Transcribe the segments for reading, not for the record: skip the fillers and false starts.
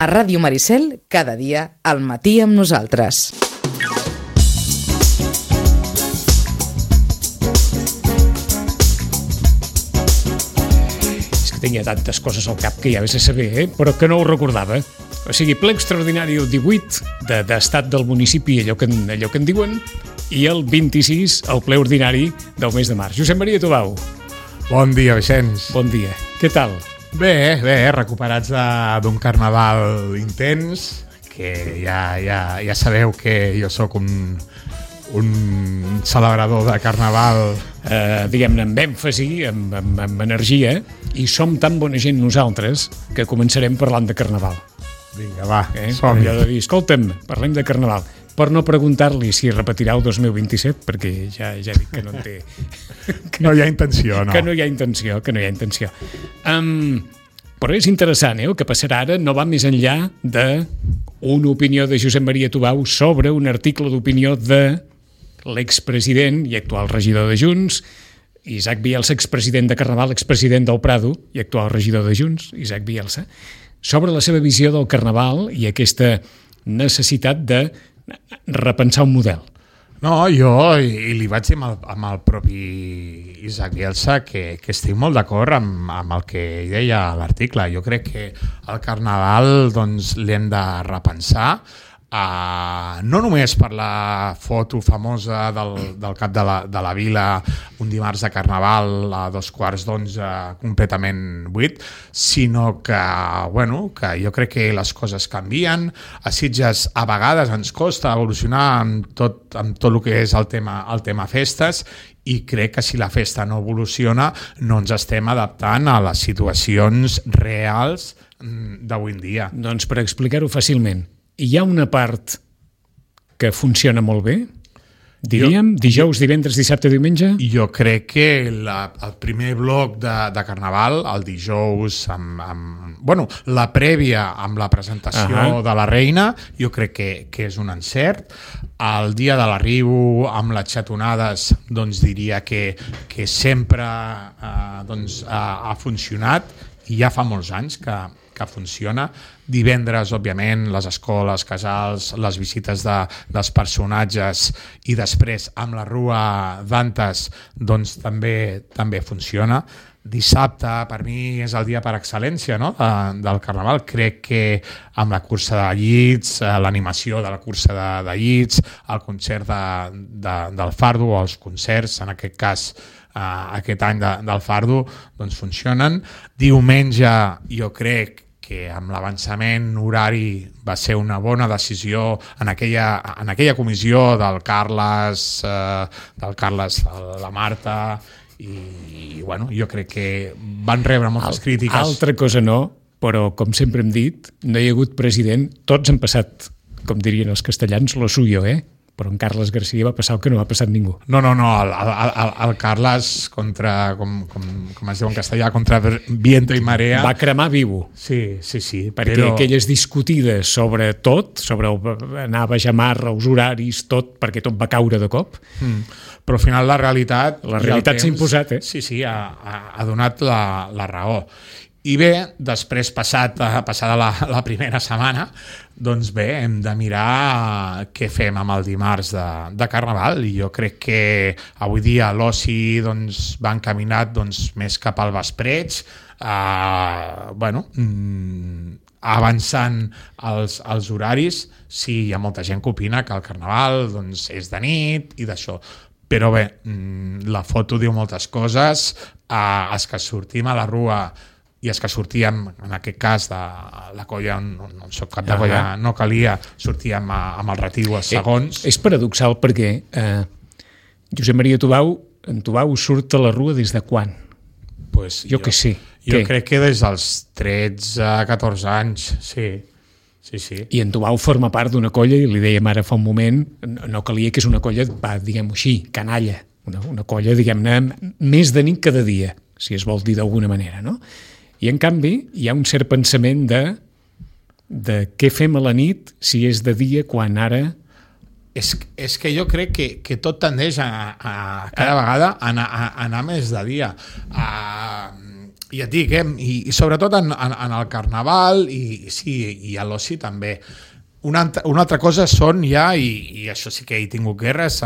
A Ràdio Maricel, cada dia, al matí amb nosaltres. És que tenia tantes coses al cap que ja vés a saber, però que no ho recordava. O sigui, ple extraordinari el 18 d'estat del municipi, allò que en diuen, i el 26 el ple ordinari del mes de març. Josep Maria Tubau. Bon dia, Vicenç. Bon dia. Què tal? Bé, recuperats d'un carnaval intens, que ja sabeu que jo sóc un celebrador de carnaval. Diguem-ne, amb èmfasi, amb energia, i som tan bona gent nosaltres que començarem parlant de carnaval. Vinga, va, som-hi. Allò de dir, escolta'm, parlem de carnaval. Per no preguntar-li si repetirà el 2027, perquè ja dic que no en té... No hi ha intenció, no. Que no hi ha intenció. Però és interessant, el que passarà ara no va més enllà d'una opinió de Josep Maria Tubau sobre un article d'opinió de l'expresident i actual regidor de Junts, Isaac Bielsa, expresident de Carnaval, expresident del Prado i actual regidor de Junts, Isaac Bielsa, sobre la seva visió del Carnaval i aquesta necessitat de repensar un model. No, jo li vaig dir amb el propi Isaac Bielsa que estic molt d'acord amb el que deia a l'article. Jo crec que el Carnaval doncs, l'hem de repensar, no només per la foto famosa del cap de la vila un dimarts de Carnaval a 11:15 completament buit, sinó que jo crec que les coses canvien. A Sitges a vegades ens costa evolucionar amb tot el que és el tema festes, i crec que si la festa no evoluciona no ens estem adaptant a les situacions reals d'avui en dia. Doncs per explicar-ho fàcilment, hi ha una part que funciona molt bé, diríem, dijous, divendres, dissabte, diumenge? Jo crec que el primer bloc de Carnaval, el dijous, la prèvia amb la presentació de la reina, jo crec que és un encert. El dia de l'arribo amb les xatonades, doncs diria que sempre ha funcionat, i ja fa molts anys que funciona. Divendres, òbviament, les escoles, casals, les visites dels personatges, i després amb la Rua d'Antes doncs també funciona. Dissabte per mi és el dia per excel·lència, no? Del Carnaval. Crec que amb la cursa de llits, l'animació de la cursa de llits, el concert del Fardo, o els concerts, en aquest cas aquest any del Fardo, doncs funcionen. Diumenge jo crec que amb l'avançament horari va ser una bona decisió en aquella comissió del Carles, la Marta, i jo crec que van rebre moltes crítiques. Altra cosa no, però com sempre hem dit, no hi ha hagut president, tots han passat, com dirien els castellans, lo suyo, però en Carles García va passar el que no va passar ningú. No, el Carles contra, com es diu en castellà, contra viento i marea... Va cremar vivo. Sí. Perquè aquelles discutides sobre tot, sobre anava a jamar els horaris, tot, perquè tot va caure de cop. Però al final la realitat... La realitat s'ha imposat, Sí, ha donat la raó. I bé, després passada la primera setmana, doncs bé, hem de mirar què fem amb el dimarts de Carnaval, i jo crec que avui dia l'oci va encaminat més cap al vespreig, avançant els horaris. Sí, hi ha molta gent que opina que el Carnaval és de nit i d'això, però bé, la foto diu moltes coses. Els que sortim a la Rua i els que sortíem, en aquest cas de la colla, no soc cap de colla, no calia, sortíem amb el retiu als segons. És paradoxal perquè Josep Maria Tubau surt a la Rua des de quan? Pues jo que sé. Jo crec que des dels 13-14 anys, sí. I en Tubau forma part d'una colla, i li dèiem ara fa un moment, no calia, que és una colla, diguem-ho així, canalla, una colla, diguem-ne, més de nit que de dia, si es vol dir d'alguna manera, no? I en canvi hi ha un cert pensament de què fem a la nit si és de dia, quan ara... És que jo crec que tot tendeix a cada vegada a anar més de dia. I et dic, i sobretot en el Carnaval i a l'oci també. Una altra cosa són ja, i això sí que he tingut guerres,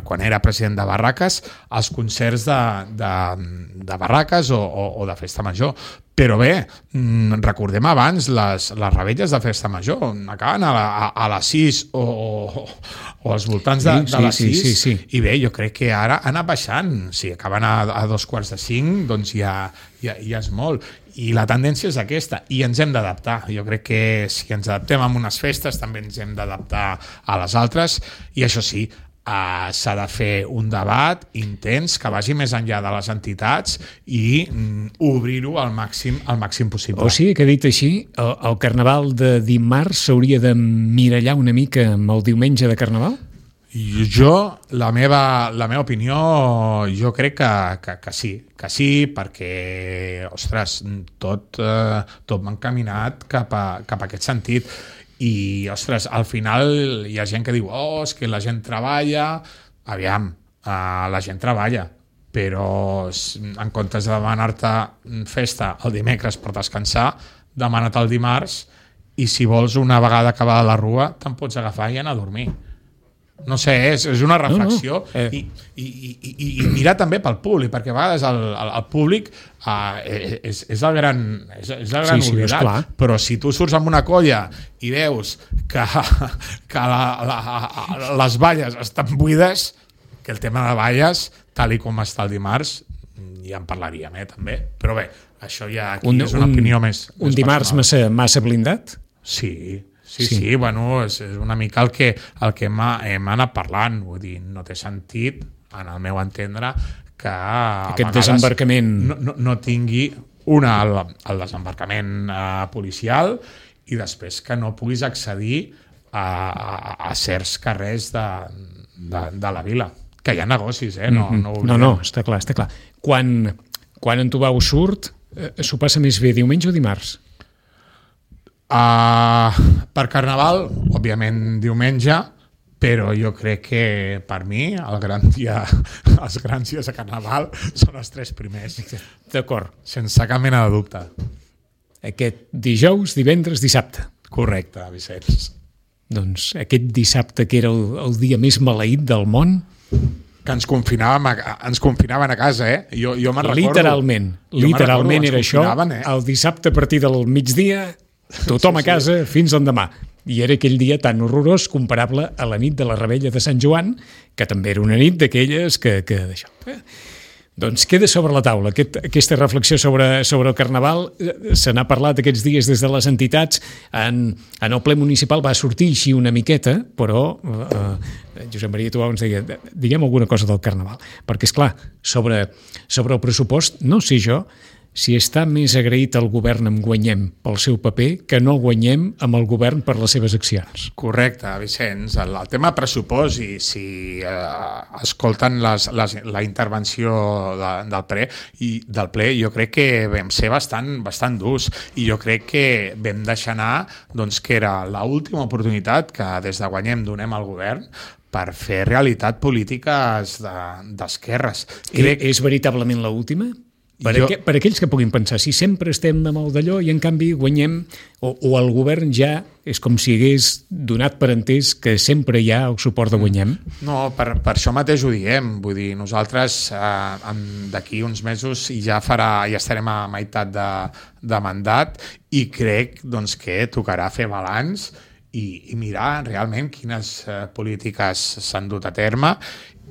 quan era president de Barraques, els concerts de Barraques o de Festa Major. Però bé, recordem abans les revetlles de Festa Major, acaben a les 6 o als voltants de les 6, sí. I bé, jo crec que ara ha anat baixant. Si acaben a 4:45, doncs ja és molt. I la tendència és aquesta, i ens hem d'adaptar. Jo crec que si ens adaptem a unes festes també ens hem d'adaptar a les altres, i això sí, s'ha de fer un debat intens que vagi més enllà de les entitats i obrir-ho al màxim possible. O sigui que, dit així, el Carnaval de dimarts s'hauria de mirallar una mica amb el diumenge de Carnaval? Jo, la meva opinió, jo crec que sí, perquè, ostres, tot m'ha encaminat cap a aquest sentit. I, ostres, al final hi ha gent que diu és que la gent treballa. Aviam, la gent treballa, però en comptes de demanar-te festa el dimecres per descansar, demana-te el dimarts, i si vols una vegada acabada la rua te'n pots agafar i anar a dormir. No sé, és una reflexió. I mirar també pel públic, perquè a vegades el públic és el gran oblidat, però si tu surts amb una colla i veus que les valles estan buides, que el tema de valles, tal i com està el dimarts, ja en parlaríem, també. Però bé, això ja aquí és una opinió més un dimarts massa blindat? Sí, bueno, és una mica el que hem anat parlant, vull dir, no té sentit, en el meu entendre, que aquest desembarcament no tingui el desembarcament policial, i després que no puguis accedir a certs carrers de la vila, que hi ha negocis, no, està clar. Quan en Tubau surt, s'ho passa més bé diumenge o dimarts? Per Carnaval, òbviament diumenge, però jo crec que per mi els grans dies de Carnaval són els 3 primers. D'acord. Sense cap mena de dubte. Aquest dijous, divendres, dissabte. Correcte, Vicenç. Doncs aquest dissabte, que era el dia més maleït del món, que ens confinaven a casa, Jo me'n recordo. Literalment era això. El dissabte a partir del migdia, tothom a casa fins l'endemà. I era aquell dia tan horrorós comparable a la nit de la Revetlla de Sant Joan, que també era una nit d'aquelles que d'això. Doncs queda sobre la taula aquesta reflexió sobre el Carnaval. Se n'ha parlat aquests dies des de les entitats. En el ple municipal va sortir així una miqueta, però Josep Maria Tubau ens deia, diguem alguna cosa del Carnaval, perquè, esclar, sobre el pressupost, no sé jo si està més agraït el govern amb Guanyem pel seu paper que no Guanyem amb el govern per les seves accions. Correcte, Vicenç. El tema pressupost, i si escolten la intervenció del ple, jo crec que vam ser bastant durs, i jo crec que vam deixar anar que era l'última oportunitat que des de Guanyem donem al govern per fer realitat polítiques d'esquerres. És veritablement l'última? Per aquells que puguin pensar, si sempre estem amb el d'allò i en canvi Guanyem, o el govern ja és com si hagués donat per entès que sempre hi ha el suport de Guanyem? No, per això mateix ho diem. Vull dir, nosaltres d'aquí uns mesos ja estarem a meitat de mandat, i crec que tocarà fer balanç i mirar realment quines polítiques s'han dut a terme,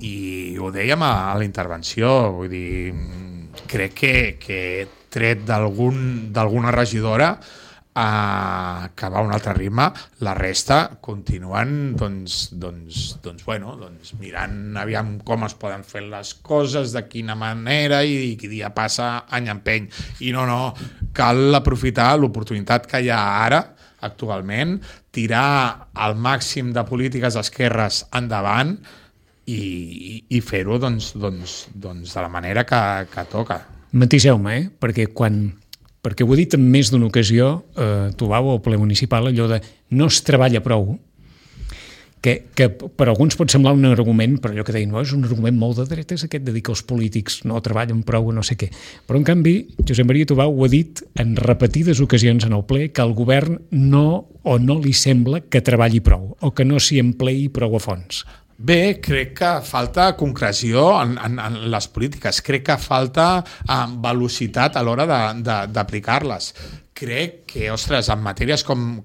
i ho dèiem a la intervenció, vull dir, crec que tret d'alguna regidora que va a un altre ritme, la resta continuen mirant aviam com es poden fer les coses, de quina manera, i dia passa any empeny. I no, cal aprofitar l'oportunitat que hi ha ara, actualment, tirar al màxim de polítiques d'esquerres endavant i fer-ho de la manera que toca. Matiseu-me, perquè ho he dit en més d'una ocasió, Tubau, al ple municipal, allò de no es treballa prou. que per alguns pot semblar un argument, però allò que deien, no, és un argument molt de dretes aquest de dir que els polítics no treballen prou o no sé què. Però en canvi, Josep Maria Tubau ho ha dit en repetides ocasions en el ple que al govern no li sembla que treballi prou o que no s'hi empleï prou a fons. Bé, crec que falta concreció en les polítiques, crec que falta velocitat a l'hora d'aplicar-les. Crec que, ostres, en matèries com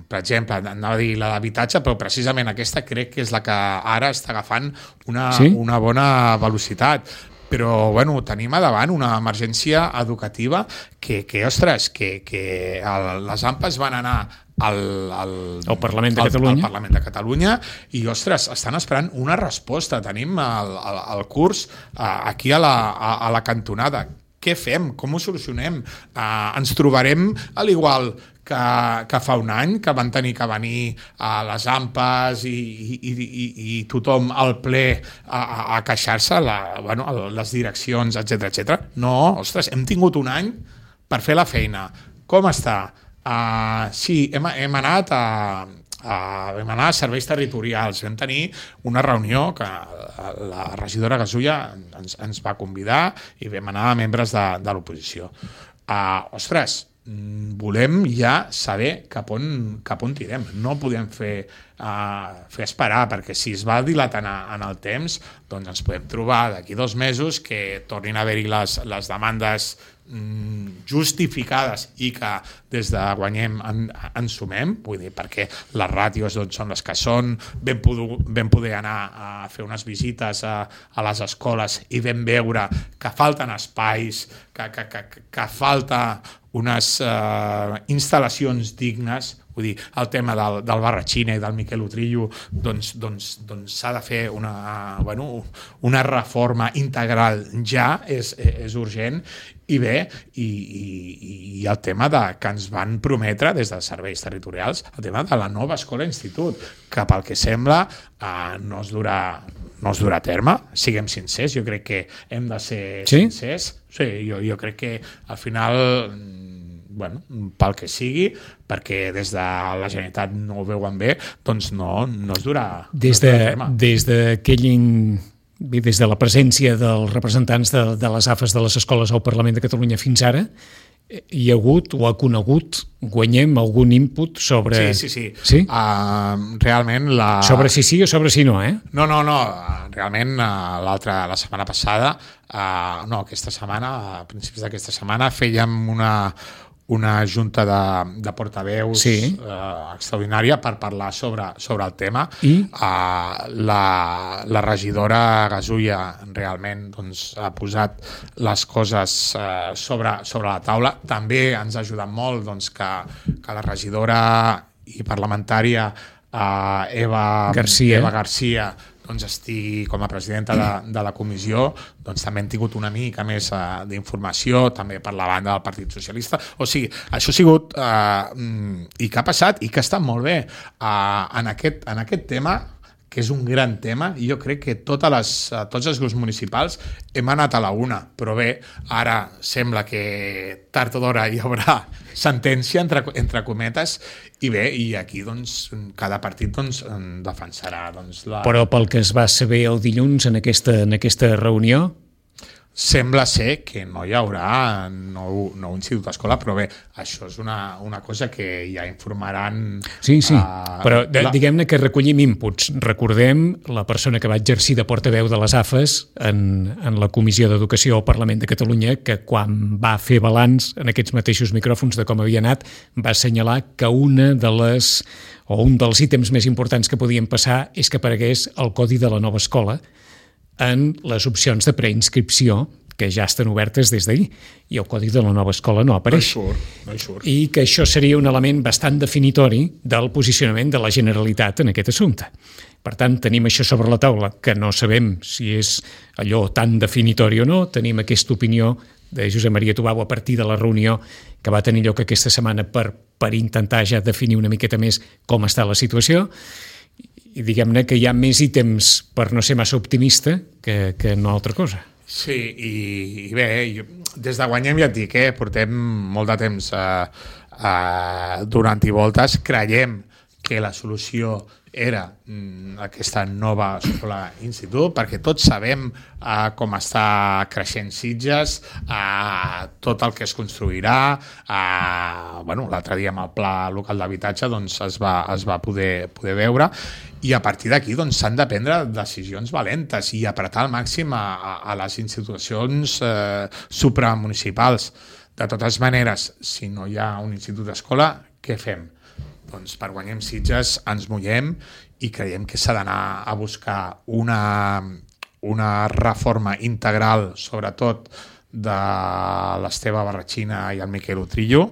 per exemple, anava a dir la d'habitatge, però precisament aquesta crec que és la que ara està agafant una bona velocitat. Però, bueno, tenim a davant una emergència educativa que les AMPAs van anar al Parlament de Catalunya. Al Parlament de Catalunya i, ostres, estan esperant una resposta. Tenim el curs aquí a la cantonada. Què fem? Com ho solucionem? Ens trobarem a l'igual que fa un any, que van tenir que venir a les AMPAs i tothom al ple a queixar-se, les direccions, etc. No, ostres, hem tingut un any per fer la feina. Com està? Sí, hem anat a serveis territorials, vam tenir una reunió que la regidora Gasulla ens va convidar i vam anar a membres de l'oposició. Ostres, volem ja saber cap on tirem. No podem fer esperar, perquè si es va dilatant en el temps, doncs ens podem trobar d'aquí 2 mesos que tornin a haver-hi les demandes justificades i que des de Guanyem ens sumem, vull dir, perquè les ràtios són les que són, vam poder anar a fer unes visites a les escoles i vam veure que falten espais, que falta unes instal·lacions dignes. Vull dir, el tema del Barratxina i del Miquel Utrillo doncs s'ha de fer una reforma integral ja, és urgent. I bé, i el tema que ens van prometre des dels serveis territorials, el tema de la nova escola-institut, que pel que sembla no es durà a terme. Siguem sincers, jo crec que hem de ser sincers. Sí, jo crec que al final, pel que sigui, perquè des de la Generalitat no ho veuen bé, doncs no es durà a terme. Des de la presència dels representants de les AFES de les escoles al Parlament de Catalunya fins ara, hi ha hagut o ha conegut Guanyem algun input sobre... Sí. Realment sobre si sí o sobre si no, eh? No. Realment la setmana passada, aquesta setmana, a principis d'aquesta setmana, fèiem una junta de portaveus extraordinària per parlar sobre el tema. I? La regidora Gasulla realment ha posat les coses sobre la taula. També ens ha ajudat molt que la regidora i parlamentària Eva Garcia estigui com a presidenta de la comissió. També hem tingut una mica més d'informació, també per la banda del Partit Socialista. O sigui, això ha sigut i que ha passat i que ha estat molt bé en aquest tema, que és un gran tema, i jo crec que tots els grups municipals hem anat a la una, però bé, ara sembla que tard o d'hora hi haurà sentència, entre cometes, i bé, i aquí cada partit defensarà la... Però pel que es va saber el dilluns en aquesta reunió, sembla ser que no hi haurà nou institut d'escola, però bé, això és una cosa que ja informaran... Sí, però diguem-ne que recollim inputs. Recordem la persona que va exercir de portaveu de les AFES en la Comissió d'Educació al Parlament de Catalunya, que quan va fer balanç en aquests mateixos micròfons de com havia anat, va assenyalar que un dels ítems més importants que podien passar és que aparegués el codi de la nova escola en les opcions de preinscripció que ja estan obertes des d'ahir, i el codi de la nova escola no apareix. No hi surt. I que això seria un element bastant definitori del posicionament de la Generalitat en aquest assumpte. Per tant, tenim això sobre la taula, que no sabem si és allò tan definitori o no. Tenim aquesta opinió de Josep Maria Tubau a partir de la reunió que va tenir lloc aquesta setmana per intentar ja definir una miqueta més com està la situació. I diguem-ne que hi ha més ítems per no ser massa optimista que no altra cosa. Sí, i bé, des de Guanyem ja et dic, portem molt de temps donant-hi voltes, creiem que la solució era aquesta nova escola-institut, perquè tots sabem com està creixent Sitges, tot el que es construirà. L'altre dia amb el pla local d'habitatge doncs, es va poder veure, i a partir d'aquí doncs, s'han de prendre decisions valentes i apretar al màxim a les institucions supramunicipals. De totes maneres, si no hi ha un institut d'escola, què fem? Doncs per Guanyem Sitges ens mullem i creiem que s'ha d'anar a buscar una reforma integral, sobretot de l'Esteve Barratxina i el Miquel Utrillo.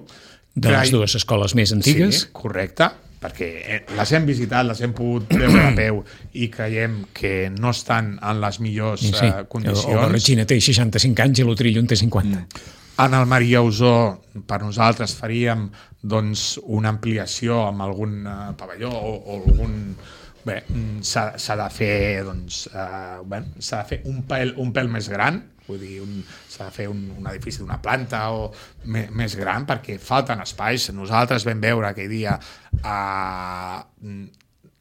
De les dues escoles més antigues. Sí, correcte, perquè les hem visitat, les hem pogut veure a peu i creiem que no estan en les millors condicions. El Barratxina té 65 anys i l'Utrillo en té 50. En el Maria Usó, per nosaltres, faríem doncs, una ampliació amb algun pavelló o algun... Bé, s'ha de fer un pèl més gran, vull dir, s'ha de fer un edifici d'una planta o més gran, perquè falten espais. Nosaltres vam veure aquell dia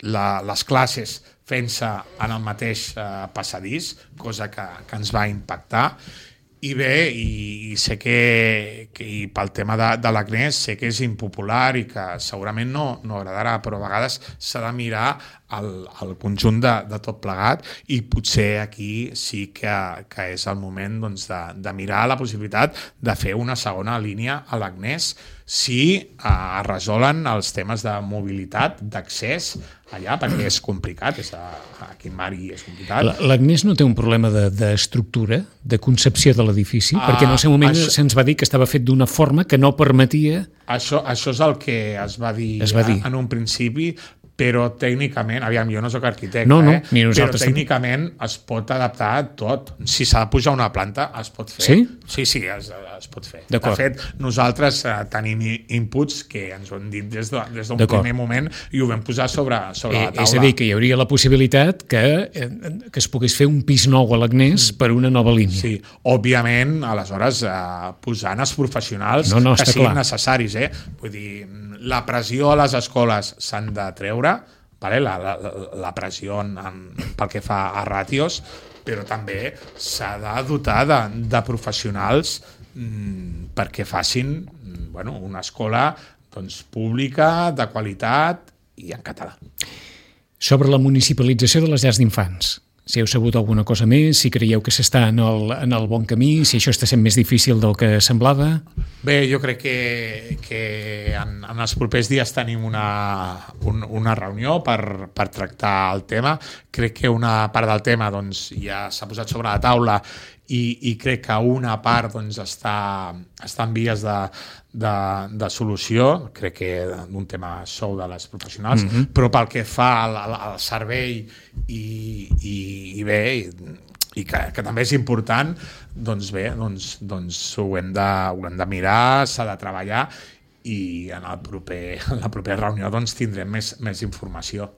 les classes fent-se en el mateix passadís, cosa que ens va impactar. I bé, i sé que pel tema de l'Agnès sé que és impopular i que segurament no agradarà, però a vegades s'ha de mirar el conjunt de tot plegat, i potser aquí sí que és el moment doncs, de mirar la possibilitat de fer una segona línia a l'Agnès si es resolen els temes de mobilitat, d'accés allà, perquè és complicat, aquí en Mari és complicat. L'Agnès no té un problema d'estructura, de concepció de l'edifici, perquè en el seu moment se'ns va dir que estava fet d'una forma que no permetia... Això és el que es va dir en un principi, però tècnicament, aviam, jo no soc arquitecte, però tècnicament es pot adaptar a tot. Si s'ha de pujar una planta, es pot fer. Sí? Sí, es pot fer. De fet, nosaltres tenim inputs que ens ho han dit des d'un primer moment i ho vam posar sobre la taula. És a dir, que hi hauria la possibilitat que es pogués fer un pis nou a l'Agnès per una nova línia. Sí, òbviament, aleshores, posant els professionals que siguin necessaris. Vull dir, la pressió a les escoles s'han de treure, la pressió pel que fa a ràtios, però també s'ha de dotar de professionals perquè facin una escola pública, de qualitat i en català. Sobre la municipalització de les llars d'infants, si heu sabut alguna cosa més, si creieu que s'està en el bon camí, si això està sent més difícil del que semblava? Bé, jo crec que en els propers dies tenim una reunió per tractar el tema. Crec que una part del tema ja s'ha posat sobre la taula i crec que una part està en vies de solució, crec que d'un tema sou de les professionals, però pel que fa al servei i bé, i que també és important, doncs ho hem de mirar, s'ha de treballar, i en la propera reunió tindrem més informació.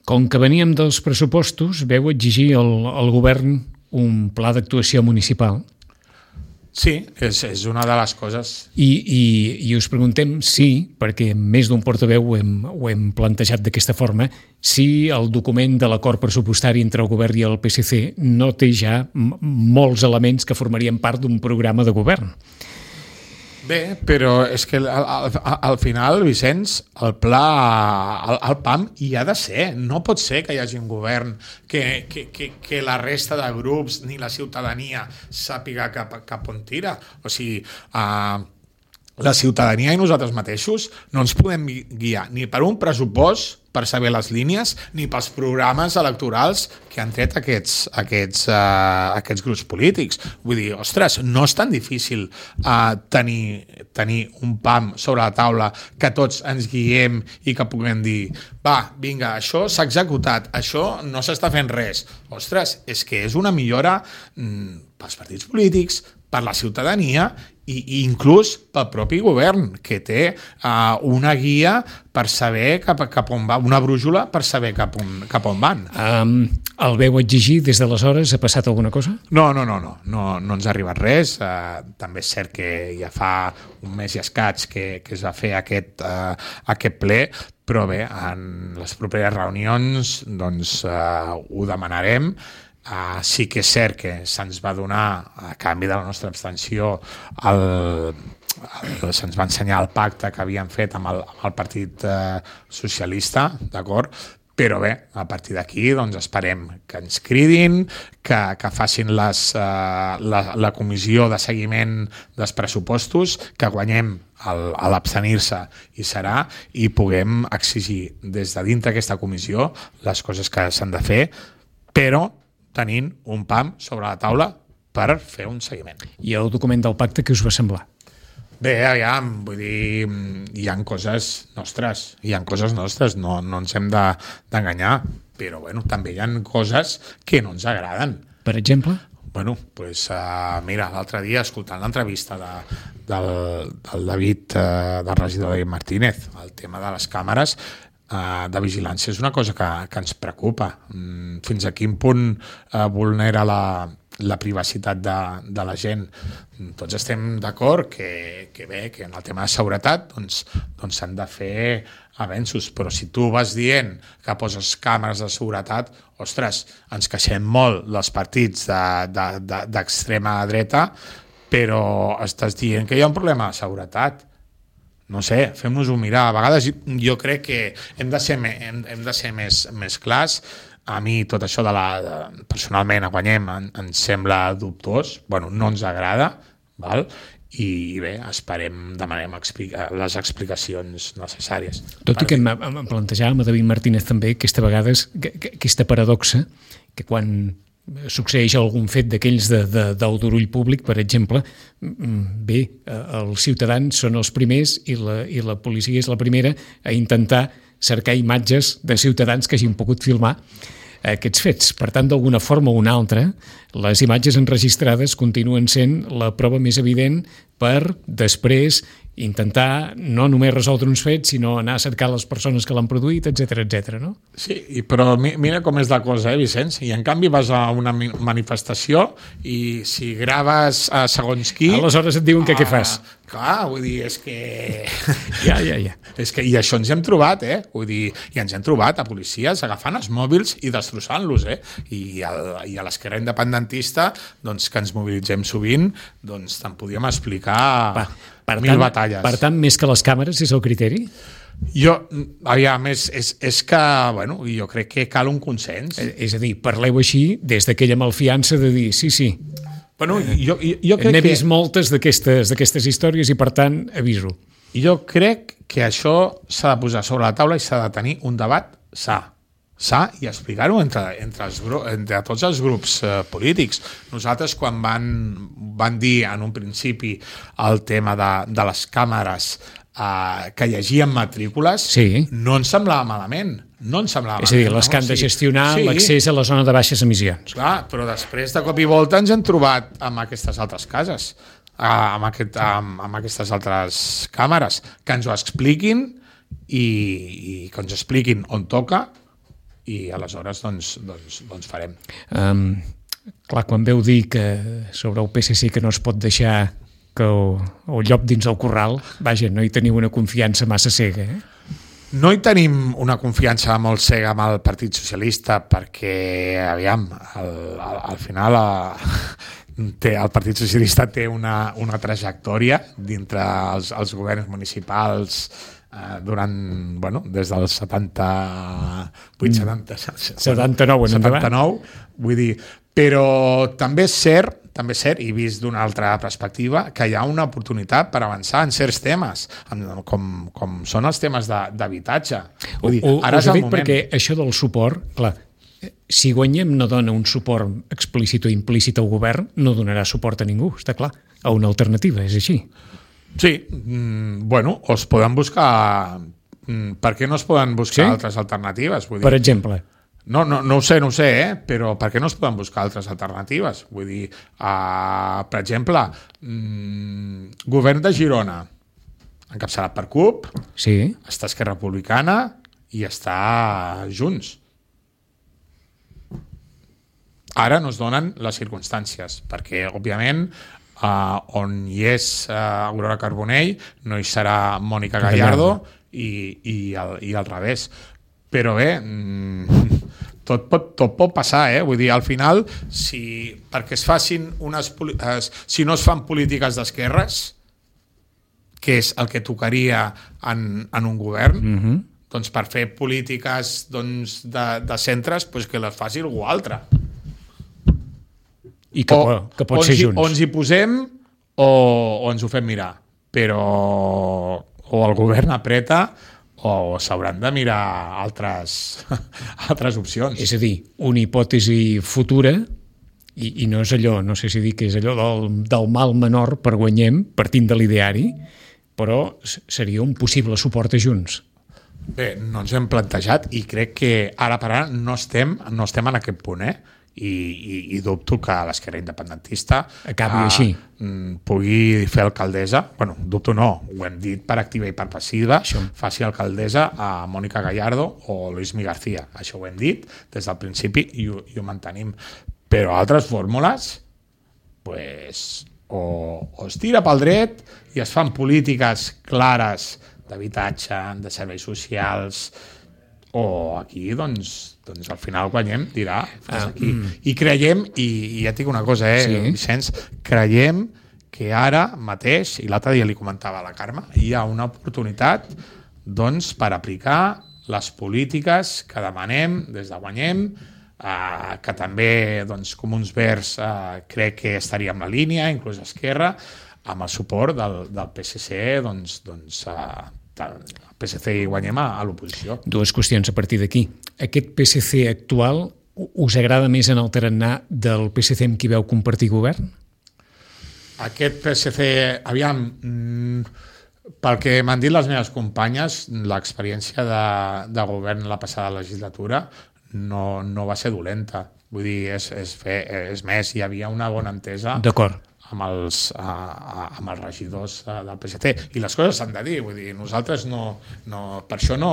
Com que veníem dels pressupostos, veu exigir al govern un pla d'actuació municipal. Sí, és una de les coses. I us preguntem si, perquè més d'un portaveu ho hem plantejat d'aquesta forma, si el document de l'acord pressupostari entre el govern i el PSC no té ja molts elements que formarien part d'un programa de govern. Bé, però és que al final, Vicenç, el PAM hi ha de ser. No pot ser que hi hagi un govern que la resta de grups ni la ciutadania sàpiga cap on tira. O sigui, la ciutadania i nosaltres mateixos no ens podem guiar ni per un pressupost per saber les línies, ni pels programes electorals que han tret aquests grups polítics. Vull dir, ostres, no és tan difícil tenir un PAM sobre la taula que tots ens guiem i que puguem dir, va, vinga, això s'ha executat, això no s'està fent res. Ostres, és que és una millora pels partits polítics, per la ciutadania i inclús pel propi govern, que té una guia per saber cap on va, una brújula per saber cap on van. El veu exigir des d'aleshores? Ha passat alguna cosa? No ens ha arribat res. També és cert que ja fa un mes i escaig que es va fer aquest ple, però bé, en les properes reunions doncs, ho demanarem. Sí que és cert que se'ns va donar, a canvi de la nostra abstenció, se'ns va ensenyar el pacte que havien fet amb el Partit Socialista, d'acord? Però bé, a partir d'aquí doncs esperem que ens cridin, que facin la comissió de seguiment dels pressupostos, que guanyem a l'abstenir-se i puguem exigir des de dintre aquesta comissió les coses que s'han de fer, però tenint un PAM sobre la taula per fer un seguiment. I el document del pacte, què us va semblar? Bé, aviam, vull dir, hi ha coses nostres, no ens hem d'enganyar, però bueno, també hi ha coses que no ens agraden. Per exemple? Bueno, doncs mira, l'altre dia, escoltant l'entrevista del David, del regidor David Martínez, el tema de les càmeres de vigilància és una cosa que ens preocupa. Fins a quin punt vulnera la privacitat de la gent. Tots estem d'acord que bé, que en el tema de seguretat doncs s'han de fer avenços, però si tu vas dient que poses càmeres de seguretat, ostres, ens queixem molt dels partits d'extrema dreta, però estàs dient que hi ha un problema de seguretat. No sé, fem-nos-ho mirar. A vegades jo crec que hem de ser més clars. A mi tot això personalment a Guanyem em sembla dubtós, bueno, no ens agrada, val? I bé, demanem les explicacions necessàries. Tot i que em plantejàvem a David Martínez també aquesta paradoxa que quan succeeix algun fet d'aquells del dorull públic, per exemple, bé, els ciutadans són els primers i la policia és la primera a intentar cercar imatges de ciutadans que hagin pogut filmar aquests fets. Per tant, d'alguna forma o una altra, les imatges enregistrades continuen sent la prova més evident per després intentar no només resoldre uns fets, sinó anar a cercar les persones que l'han produït, etc, no? Sí, però mira com és la cosa, Vicenç? I en canvi vas a una manifestació i si graves segons qui... Aleshores et diuen que què fas. Clar, vull dir, és que... Ja. És que, i això ens hem trobat, Vull dir, i ens hem trobat a policies agafant els mòbils i destrossant-los, I a l'esquerra independentista, doncs, que ens mobilitzem sovint, doncs te'n podíem explicar mil batalles. Per tant, més que les càmeres és el criteri? Aviam, és que, bueno, jo crec que cal un consens. És a dir, parleu així des d'aquella malfiança de dir, sí. Bueno, jo crec n'he vist moltes d'aquestes històries i, per tant, aviso. Jo crec que això s'ha de posar sobre la taula i s'ha de tenir un debat sa i explicar-ho entre tots els grups polítics. Nosaltres, quan van dir en un principi el tema de les càmeres que llegien matrícules, no ens semblava malament. És a dir, les que han de gestionar l'accés a la zona de baixes emissions. Clar, però després de cop i volta ens hem trobat amb aquestes altres cases, amb aquestes altres càmeres, que ens ho expliquin i que ens expliquin on toca i aleshores doncs farem. Clar, quan veu dir que sobre el PSC que no es pot deixar que el llop dins el corral, vaja, no hi teniu una confiança massa cega, No hi tenim una confiança molt cega amb el Partit Socialista perquè, aviam, al final el Partit Socialista té una trajectòria dintre els governs municipals des dels 79, vull dir, però també és cert, i vist d'una altra perspectiva, que hi ha una oportunitat per avançar en certs temes, com són els temes d'habitatge. Ara és el moment. Perquè això del suport, clar, si Guanyem no dona un suport explícit o implícit al govern, no donarà suport a ningú, està clar, a una alternativa, és així. Sí, bueno, o es poden buscar... Per què no es poden buscar altres alternatives? Vull dir, per exemple? No ho sé, però per què no es poden buscar altres alternatives? Vull dir, per exemple, govern de Girona, encapçalat per CUP, està Esquerra Republicana i està Junts. Ara no es donen les circumstàncies, perquè, òbviament, on hi és Aurora Carbonell no hi serà Mònica Gallardo i al revés. Però bé, tot pot passar, vull dir, al final, perquè si no es fan polítiques d'esquerres, que és el que tocaria en un govern, doncs per fer polítiques de centres, doncs que les faci algú altre. I que pot ser junts. O ens hi posem o ens ho fem mirar. Però o el govern apreta o s'hauran de mirar altres opcions. És a dir, una hipòtesi futura, i no és allò, no sé si dir que és allò del mal menor per guanyem, partint de l'ideari, però seria un possible suport a Junts. Bé, no ens hem plantejat i crec que ara per ara no estem en aquest punt, i dubto que l'esquerra independentista acabi així. Pugui fer alcaldessa, dubto no, ho hem dit per activa i per passiva, faci alcaldessa a Mònica Gallardo o Luismi García, això ho hem dit des del principi i ho mantenim, però altres fórmules o es tira pel dret i es fan polítiques clares d'habitatge, de serveis socials, o aquí doncs al final guanyem, dirà aquí. I creiem, i ja et dic una cosa, Vicenç, creiem que ara mateix, i l'altre dia li comentava a la Carme, hi ha una oportunitat doncs per aplicar les polítiques que demanem des de Guanyem, que també doncs, Comuns Verds crec que estaria en la línia, inclús Esquerra, amb el suport del PSC, el PSC i Guanyem a l'oposició. Dues qüestions a partir d'aquí. Aquest PSC actual us agrada més en el tarannà del PSC amb qui veu compartir govern? Aquest PSC, aviam, pel que m'han dit les meves companyes, l'experiència de govern la passada legislatura no va ser dolenta. Vull dir, és més, hi havia una bona entesa. D'acord. Amb els regidors del PSC. I les coses s'han de dir, vull dir, nosaltres per això no...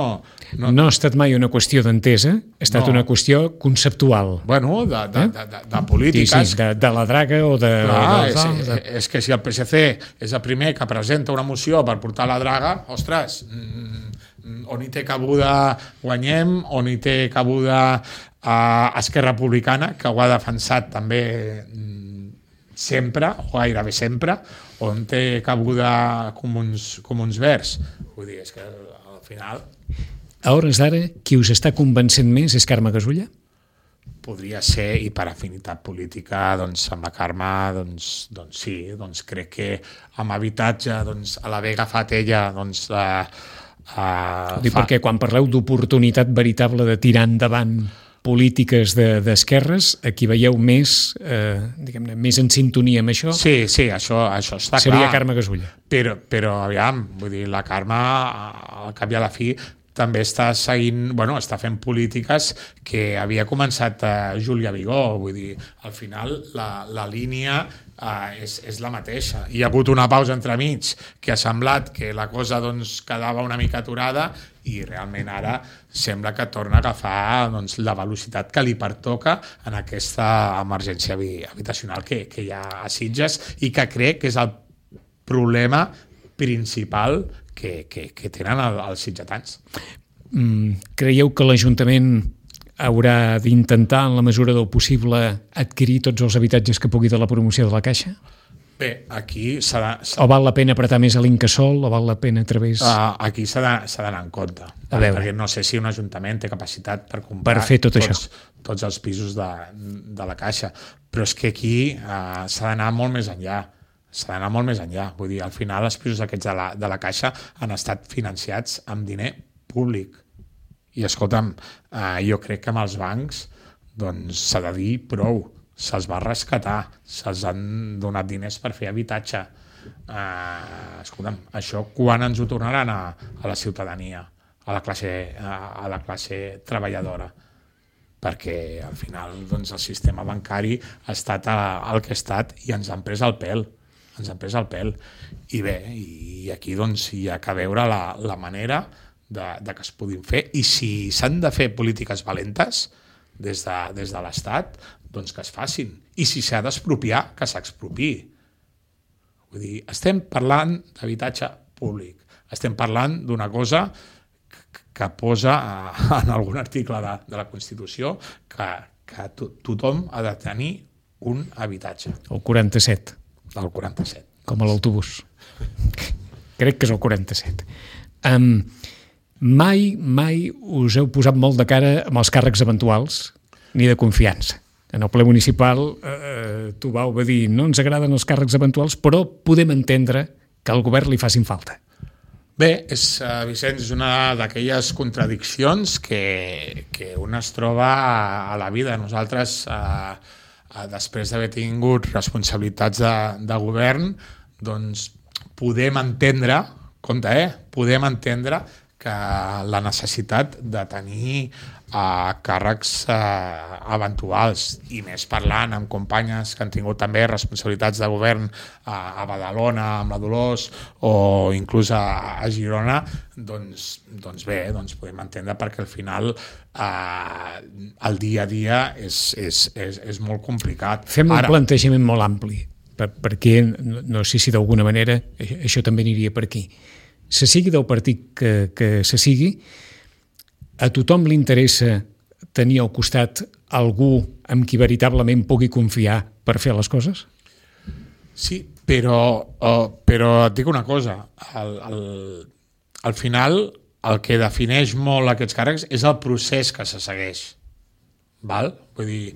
No ha estat mai una qüestió d'entesa, ha estat una qüestió conceptual. Bueno, de polítiques. Sí, de la draga o de... Clar, és que si el PSC és el primer que presenta una moció per portar la draga, ostres, on hi té cabuda Guanyem, on hi té cabuda Esquerra Republicana, que ho ha defensat també sempre, o gairebé sempre, on té cabuda Comuns Verds. Vull dir, és que al final... A hores d'ara, qui us està convencent més és Carme Gasulla? Podria ser, i per afinitat política, doncs amb la Carme, doncs sí, doncs crec que amb habitatge, doncs a l'haver agafat ella, doncs... Perquè quan parleu d'oportunitat veritable de tirar endavant polítiques d'esquerres, aquí veieu més, diguem-ne, més en sintonia amb això? Sí, això està clar. Seria Carme Gasulla. Però aviam, vull dir, la Carme, al cap i a la fi, també està seguint, està fent polítiques que havia començat Júlia Vigó, vull dir, al final la línia és la mateixa. Hi ha hagut una pausa entremig que ha semblat que la cosa quedava una mica aturada i realment ara sembla que torna a agafar la velocitat que li pertoca en aquesta emergència habitacional que hi ha a Sitges i que crec que és el problema principal que tenen els sitgetans. Creieu que l'Ajuntament haurà d'intentar, en la mesura del possible, adquirir tots els habitatges que pugui de la promoció de la Caixa? Bé, aquí s'ha O val la pena apretar més a l'Incasòl, o val la pena a través... Aquí s'ha d'anar en compte. Perquè no sé si un ajuntament té capacitat per comprar fer tot això. Tots els pisos de la Caixa. Però és que aquí s'ha d'anar molt més enllà. Vull dir, al final els pisos aquests de la Caixa han estat financiats amb diner públic. I escolta'm, jo crec que amb els bancs s'ha de dir prou. Se'ls va rescatar, se'ls han donat diners per fer habitatge. Escolta'm, això quan ens ho tornaran a la ciutadania, a la classe treballadora? Perquè al final el sistema bancari ha estat el que ha estat i ens han pres el pèl. I bé, i aquí hi ha que veure la manera de que es puguin fer, i si s'han de fer polítiques valentes des de l'Estat, doncs que es facin, i si s'ha d'expropiar, que s'expropiï. Vull dir, estem parlant d'habitatge públic, Estem parlant d'una cosa que posa en algun article de la Constitució que tothom ha de tenir un habitatge. El 47. El 47. Com a l'autobús. Crec que és el 47. Mai us heu posat molt de cara amb els càrrecs eventuals, ni de confiança. En el ple municipal Tubau va dir no ens agraden els càrrecs eventuals, però podem entendre que al govern li facin falta. Bé, Vicenç, és una d'aquelles contradiccions que un es troba a la vida. Nosaltres, després d'haver tingut responsabilitats de govern, doncs podem entendre, podem entendre que la necessitat de tenir càrrecs eventuals, i més parlant amb companyes que han tingut també responsabilitats de govern a Badalona, amb la Dolors, o inclús a Girona, doncs bé, podem entendre perquè al final el dia a dia és molt complicat. Fem un plantejament molt ampli, perquè no sé si d'alguna manera això també aniria per aquí. Se sigui del partit que se sigui, a tothom li interessa tenir al costat algú amb qui veritablement pugui confiar per fer les coses? Sí, però et dic una cosa, al final el que defineix molt aquests càrrecs és el procés que se segueix. Val? Vull dir,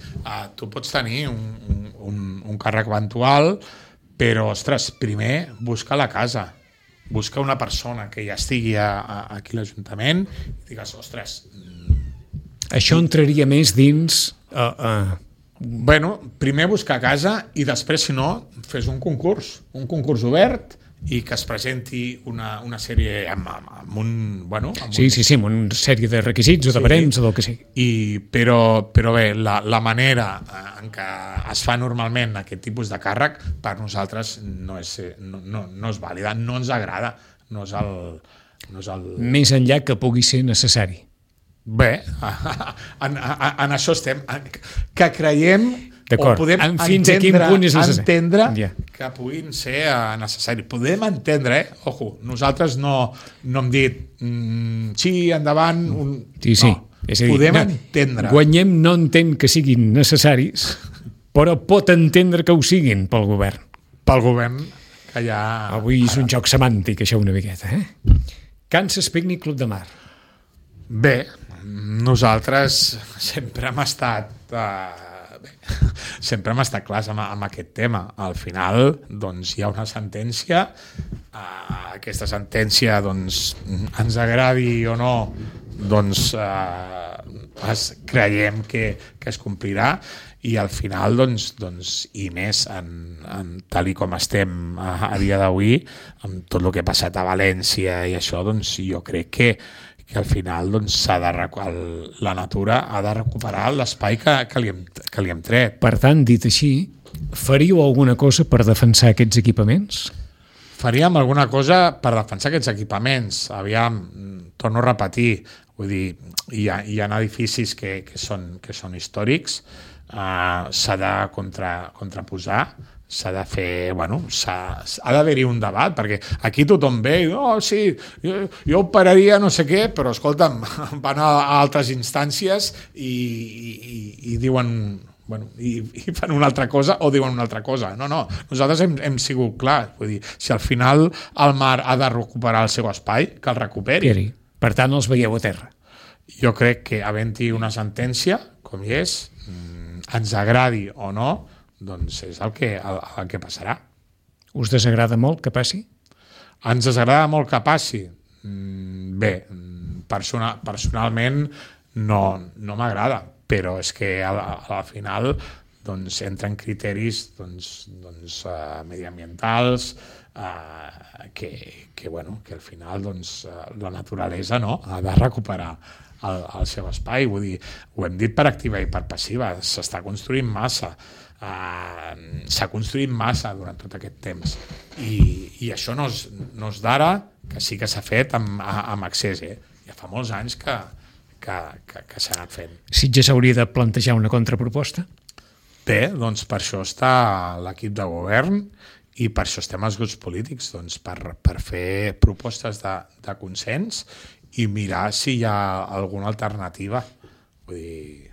tu pots tenir un càrrec eventual, però, ostres, primer busca la casa, busca una persona que ja estigui aquí a l'Ajuntament i digues, ostres... Això entraria més dins... Bueno, primer buscar casa i després, si no, fes un concurs obert i que es presenti una sèrie amb amb una sèrie de requisits o de barems o del que sigui. Però bé, la manera en què es fa normalment aquest tipus de càrrec per nosaltres no és vàlida, no ens agrada, no és el... Més enllà que pugui ser necessari. Bé, en això estem, que creiem o podem entendre que puguin ser necessaris. Podem entendre, ojo, nosaltres no hem dit sí, endavant... Sí. No, és a dir, podem entendre. Guanyem no entén que siguin necessaris, però pot entendre que ho siguin pel govern. Pel govern, que ja... Avui és un joc semàntic, això una miqueta, Kansas Picnic Club de Mar. Bé, nosaltres sempre hem estat... sempre hem estat clars amb aquest tema. Al final, doncs, hi ha una sentència, aquesta sentència, doncs, ens agradi o no, doncs, creiem que es complirà i al final, doncs i més tal i com estem a dia d'avui, amb tot el que ha passat a València i això, doncs jo crec que al final doncs, la natura ha de recuperar l'espai que li hem tret. Per tant, dit així, faríeu alguna cosa per defensar aquests equipaments? Faríem alguna cosa per defensar aquests equipaments. Aviam, torno a repetir, vull dir, hi ha edificis que són històrics, s'ha de contraposar, s'ha de fer, ha d'haver-hi un debat, perquè aquí tothom ve i sí, jo operaria no sé què, però escolta'm, van a altres instàncies i diuen, i fan una altra cosa o diuen una altra cosa. No, nosaltres hem sigut clars, vull dir, si al final el mar ha de recuperar el seu espai, que el recuperi. Per tant, els veieu a terra. Jo crec que havent-hi una sentència, com hi és, ens agradi o no, doncs és el que passarà. Us desagrada molt que passi? Ens desagrada molt que passi? Bé, personalment no m'agrada, però és que al final doncs, entren criteris mediambientals que al final doncs, la naturalesa ha de recuperar el seu espai. Vull dir, ho hem dit per activa i per passiva, s'està construint massa. S'ha construït massa durant tot aquest temps i això no és d'ara, que sí que s'ha fet amb accés, ja fa molts anys que s'ha anat fent. Sitges hauria de plantejar una contraproposta? Bé, doncs per això està l'equip de govern I per això estem els grups polítics, doncs, per fer propostes de consens i mirar si hi ha alguna alternativa. Vull dir,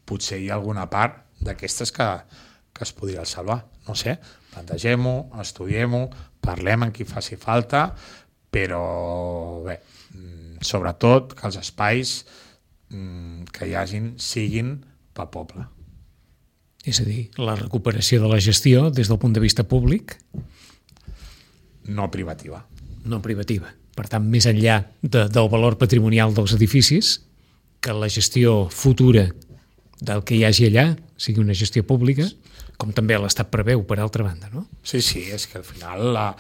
potser hi ha alguna part d'aquestes que es podria salvar. No sé, plantegem-ho, estudiem-ho, parlem amb qui faci falta, però bé, sobretot que els espais que hi hagin siguin pel poble. És a dir, la recuperació de la gestió des del punt de vista públic? No privativa. No privativa. Per tant, més enllà del valor patrimonial dels edificis, que la gestió futura del que hi hagi allà sigui una gestió pública, com també l'Estat preveu, per altra banda, no? Sí, és que al final ha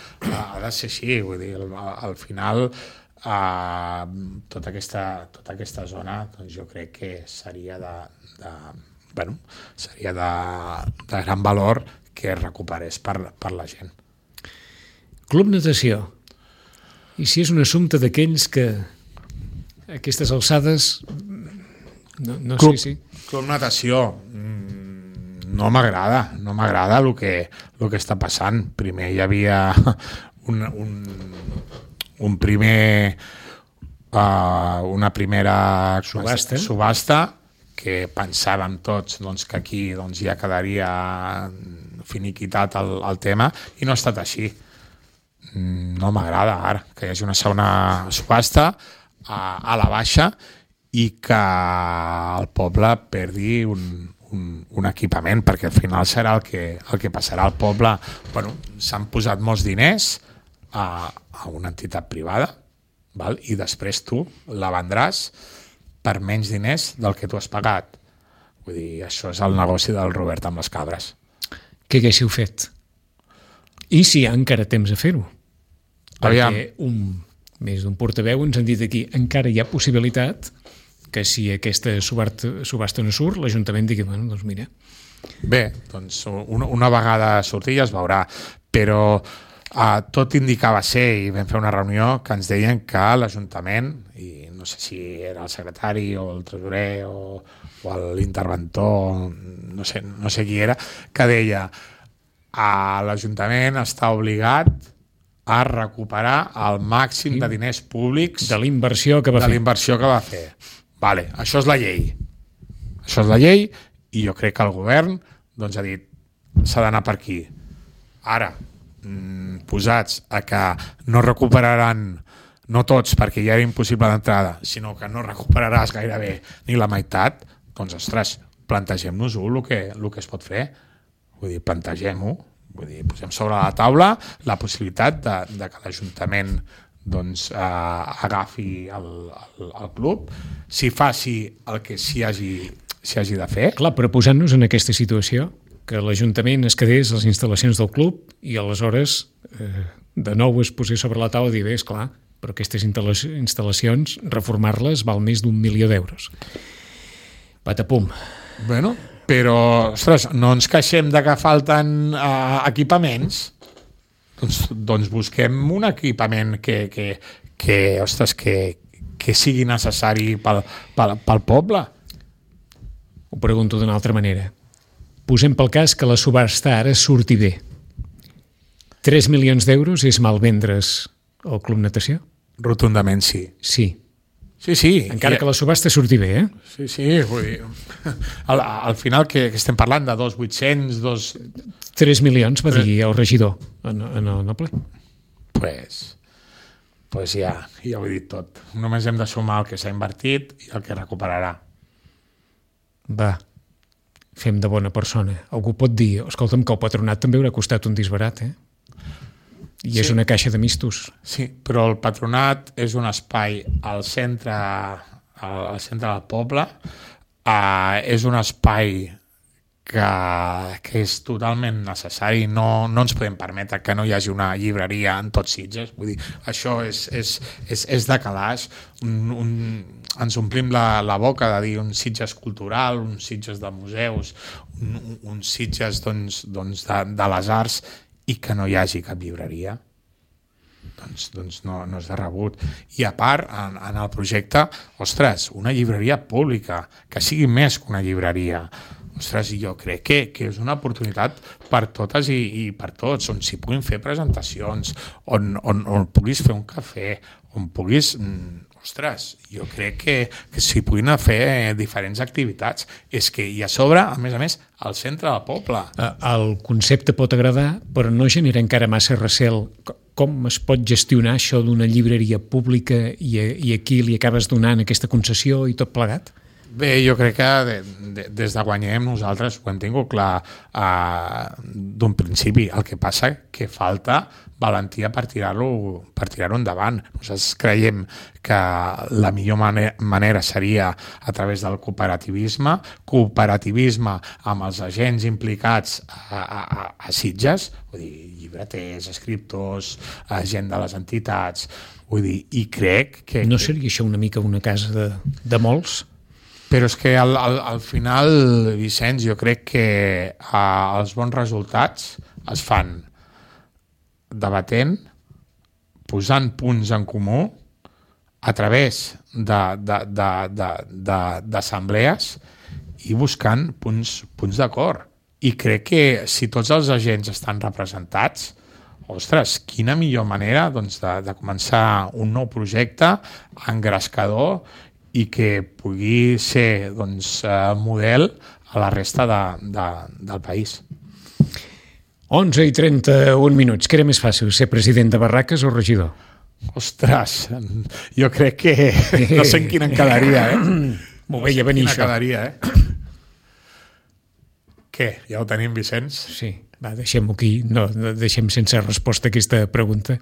de ser així, vull dir, al final tota aquesta zona, doncs jo crec que seria seria de gran valor que es recuperés per la gent. Club Natació. I si és un assumpte d'aquells que a aquestes alçades no sé si... Club Natació, no m'agrada el que està passant. Primer hi havia una primera subhasta que pensàvem tots doncs, que aquí doncs, ja quedaria finiquitat el tema, i no ha estat així. No m'agrada ara que hi hagi una segona subhasta a la baixa i que el poble perdi un equipament, perquè al final serà el que passarà al poble. Bueno, s'han posat molts diners a una entitat privada, val? I després tu la vendràs per menys diners del que tu has pagat. Vull dir, això és el negoci del Robert amb les cabres. Què haguéssiu fet? I si hi ha encara temps a fer-ho? Perquè més d'un portaveu ens han dit aquí, encara hi ha possibilitat que si aquesta subhasta no surt, l'Ajuntament digui, bueno, doncs mira. Bé, doncs una vegada surti ja es veurà, però tot indicava ser, i vam fer una reunió que ens deien que l'Ajuntament, i no sé si era el secretari o el tresorer o l'interventor, no sé qui era, que deia l'Ajuntament està obligat a recuperar el màxim de diners públics de l'inversió que va fer. Vale, això és la llei. Això és la llei, i jo crec que el govern doncs, ha dit s'ha d'anar per aquí. Ara, posats a que no recuperaran, no tots, perquè ja era impossible d'entrada, sinó que no recuperaràs gairebé ni la meitat, doncs, ostres, plantegem-nos-ho el que es pot fer. Vull dir, plantegem-ho. Vull dir, posem sobre la taula la possibilitat de que l'Ajuntament doncs, agafi el club, si faci el que s'hi hagi de fer. Clar, però posant-nos en aquesta situació, que l'Ajuntament es quedés a les instal·lacions del club i aleshores de nou es posés sobre la taula i dir, bé, esclar, però aquestes instal·lacions, reformar-les val més d'1 milió d'euros. Patapum. Bueno, però, ostres, no ens queixem de que falten equipaments. Doncs busquem un equipament que sigui necessari pel poble. Ho pregunto d'una altra manera. Posem pel cas que la subhasta ara surti bé. 3 milions d'euros és malvendre's el Club Natació? Rotundament sí. Sí. Sí. Encara que la subhasta surti bé, eh? Sí, vull dir, al final que estem parlant de 2.800, 3 milions, va dir el regidor en el ple. Pues ja ho he dit tot. Només hem de sumar el que s'ha invertit i el que recuperarà. Va, fem de bona persona. Algú pot dir, escolta'm, que el patronat també haurà costat un disbarat, eh? I és una caixa de mistos. Sí, però el patronat és un espai al centre del poble, és un espai que és totalment necessari. No ens podem permetre que no hi hagi una llibreria en tots Sitges. Vull dir, això és de calaix. Ens omplim la boca de dir un Sitges cultural, un Sitges de museus, un Sitges doncs, de les arts, i que no hi hagi cap llibreria, doncs no és de rebut. I a part, en el projecte, ostres, una llibreria pública, que sigui més que una llibreria. ostres, jo crec que és una oportunitat per totes i per tots, on s'hi puguin fer presentacions, on puguis fer un cafè, on puguis... Ostres, jo crec que s'hi puguin fer diferents activitats. És que hi a sobre, a més, al centre del poble. El concepte pot agradar, però no genera encara massa recel. Com es pot gestionar això d'una llibreria pública i aquí li acabes donant aquesta concessió i tot plegat? Bé, jo crec que des de Guanyem nosaltres ho hem tingut clar d'un principi. El que passa que falta valentia per tirar-ho endavant. Nosaltres creiem que la millor manera seria a través del cooperativisme amb els agents implicats a Sitges, vull dir, llibreters, escriptors, gent de les entitats, vull dir, i crec que... No seria això una mica una casa de molts? Però és que al final, Vicenç, jo crec que els bons resultats es fan debatent, posant punts en comú a través d'assemblees i buscant punts d'acord. I crec que si tots els agents estan representats, ostres, quina millor manera doncs, de començar un nou projecte engrescador i que pugui ser doncs, model a la resta del país. 11:31. Què era més fàcil, ser president de Barraques o regidor? Ostres, jo crec que no sé en quina en quedaria, M'ho veia venir, això. Quedaria, Què? Ja ho tenim, Vicenç? Sí, va, deixem-ho aquí. No deixem sense resposta aquesta pregunta.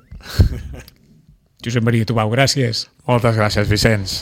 Josep Maria Tubau, gràcies. Moltes gràcies, Vicenç.